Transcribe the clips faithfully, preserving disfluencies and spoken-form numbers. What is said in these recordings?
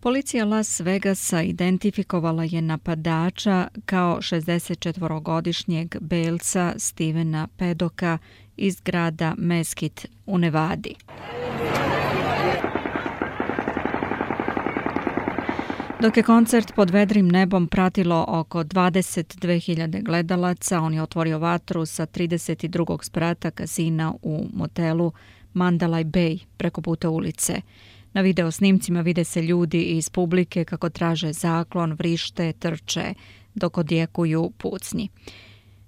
Policija Las Vegasa identifikovala je napadača kao šezdesetčetvorogodišnjeg belca Stevena Paddocka iz grada Mesquite u Nevadi. Dok je koncert pod vedrim nebom pratilo oko dvadeset dve hiljade gledalaca, on je otvorio vatru sa trideset drugog sprata kazina u motelu Mandalay Bay preko puta ulice. Na video snimcima vide se ljudi iz publike kako traže zaklon, vrište, trče, dok odjekuju pucnji.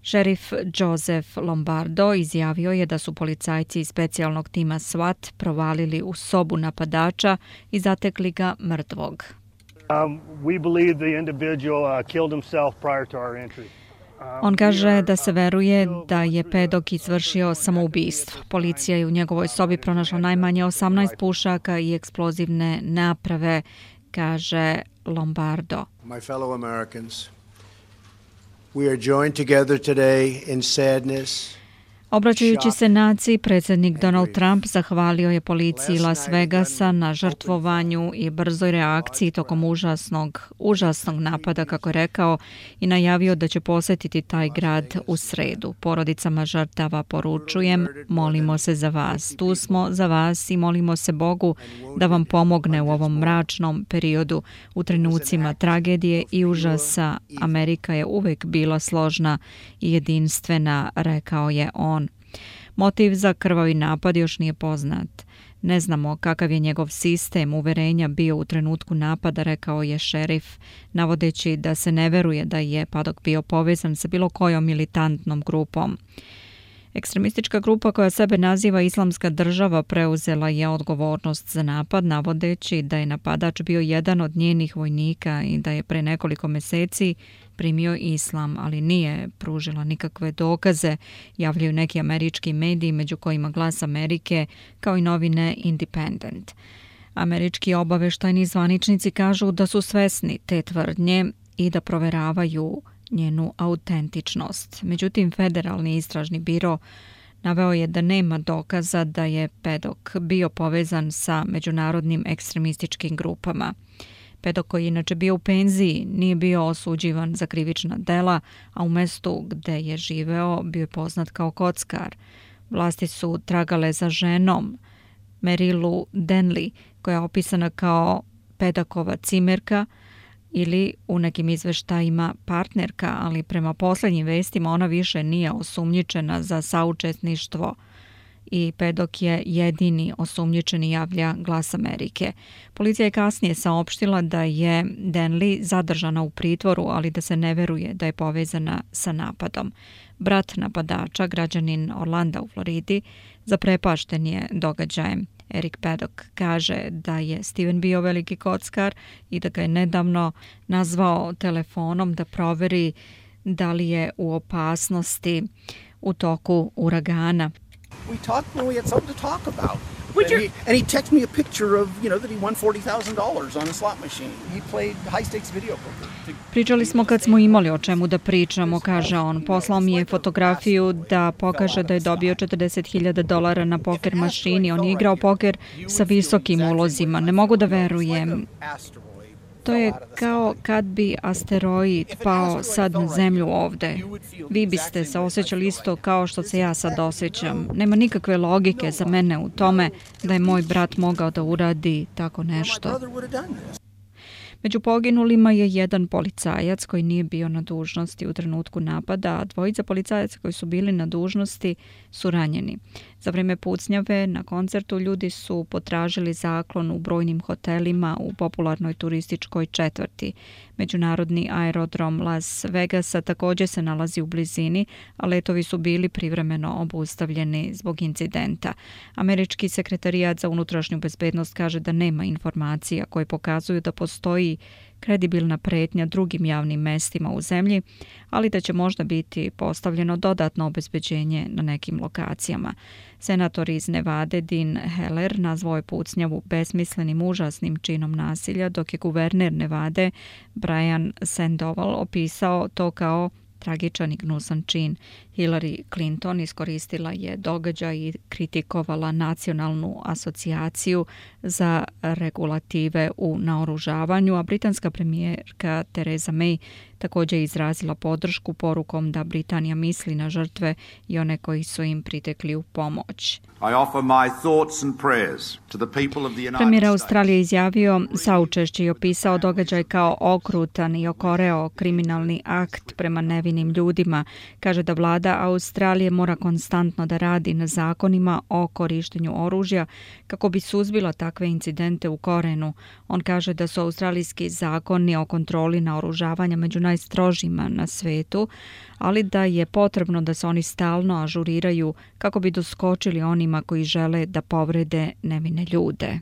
Šerif Joseph Lombardo izjavio je da su policajci iz specijalnog tima SWAT provalili u sobu napadača i zatekli ga mrtvog. Um, we believe the individual uh, killed himself prior to our entry. On kaže da se veruje da je Paddock izvršio samoubistvo. Policija je u njegovoj sobi pronašla najmanje osamnaest pušaka i eksplozivne naprave, kaže Lombardo. My fellow Americans, we are joined together today in sadness. Obraćajući se naciji, predsjednik Donald Trump zahvalio je policiji Las Vegasa na žrtvovanju i brzoj reakciji tokom užasnog, užasnog napada, kako je rekao, i najavio da će posjetiti taj grad u sredu. Porodicama žrtava poručujem, molimo se za vas. Tu smo za vas i molimo se Bogu da vam pomogne u ovom mračnom periodu. U trenucima tragedije i užasa Amerika je uvijek bila složna i jedinstvena, rekao je on. Motiv za krvavi napad još nije poznat. Ne znamo kakav je njegov sistem uverenja bio u trenutku napada, rekao je šerif, navodeći da se ne veruje da je Paddock bio povezan sa bilo kojom militantnom grupom. Ekstremistička grupa koja sebe naziva Islamska država preuzela je odgovornost za napad, navodeći da je napadač bio jedan od njenih vojnika i da je pre nekoliko meseci primio islam, ali nije pružila nikakve dokaze, javljaju neki američki mediji, među kojima Glas Amerike, kao i novine Independent. Američki obaveštajni zvaničnici kažu da su svesni te tvrdnje i da proveravaju njenu autentičnost. Međutim, Federalni istražni biro naveo je da nema dokaza da je Paddock bio povezan sa međunarodnim ekstremističkim grupama. Paddock, koji je inače bio u penziji, nije bio osuđivan za krivična dela, a u mestu gde je živeo bio je poznat kao kockar. Vlasti su tragale za ženom, Merilu Denley, koja je opisana kao Paddockova cimerka ili u nekim izveštajima partnerka, ali prema posljednjim vestima ona više nije osumnjičena za saučesništvo i Paddock je jedini osumnjičeni, javlja Glas Amerike. Policija je kasnije saopštila da je Denley zadržana u pritvoru, ali da se ne veruje da je povezana sa napadom. Brat napadača, građanin Orlanda u Floridi, zaprepašten je događajem. Eric Paddock kaže da je Steven bio veliki kockar i da ga je nedavno nazvao telefonom da proveri da li je u opasnosti u toku uragana. We talked when we had something to talk about. And he, and he texted me a picture of, you know, that he won forty thousand dollars on a slot machine. He played high stakes video poker. Pričali smo kad smo imali o čemu da pričamo, kaže on. Poslao mi je fotografiju da pokaže da je dobio četrdeset hiljada dolara na poker mašini. On je igrao poker sa visokim ulozima. Ne mogu da verujem. To je kao kad bi asteroid pao sad na zemlju ovde. Vi biste se osjećali isto kao što se ja sad osjećam. Nema nikakve logike za mene u tome da je moj brat mogao da uradi tako nešto. Među poginulima je jedan policajac koji nije bio na dužnosti u trenutku napada, a dvojica policajaca koji su bili na dužnosti su ranjeni. Za vrijeme pucnjave na koncertu ljudi su potražili zaklon u brojnim hotelima u popularnoj turističkoj četvrti. Međunarodni aerodrom Las Vegasa također se nalazi u blizini, a letovi su bili privremeno obustavljeni zbog incidenta. Američki sekretarijat za unutrašnju bezbednost kaže da nema informacija koje pokazuju da postoji kredibilna pretnja drugim javnim mestima u zemlji, ali da će možda biti postavljeno dodatno obezbeđenje na nekim lokacijama. Senator iz Nevade Dean Heller nazvao je pucnjavu besmislenim užasnim činom nasilja, dok je guverner Nevade Brian Sandoval opisao to kao tragičan i gnusan čin. Hillary Clinton iskoristila je događaj i kritikovala Nacionalnu asocijaciju za regulative u naoružavanju, a britanska premijerka Theresa May također je izrazila podršku porukom da Britanija misli na žrtve i one koji su im pritekli u pomoć. Premijer Australije izjavio saučešće i opisao događaj kao okrutan i okoreo kriminalni akt prema nevinim ljudima. Kaže da vlada Australije mora konstantno da radi na zakonima o korištenju oružja kako bi suzbila takve incidente u korenu. On kaže da su australijski zakoni o kontroli naoružavanja među najstrožima na svetu, ali da je potrebno da se oni stalno ažuriraju kako bi doskočili onima koji žele da povrede nevine ljude.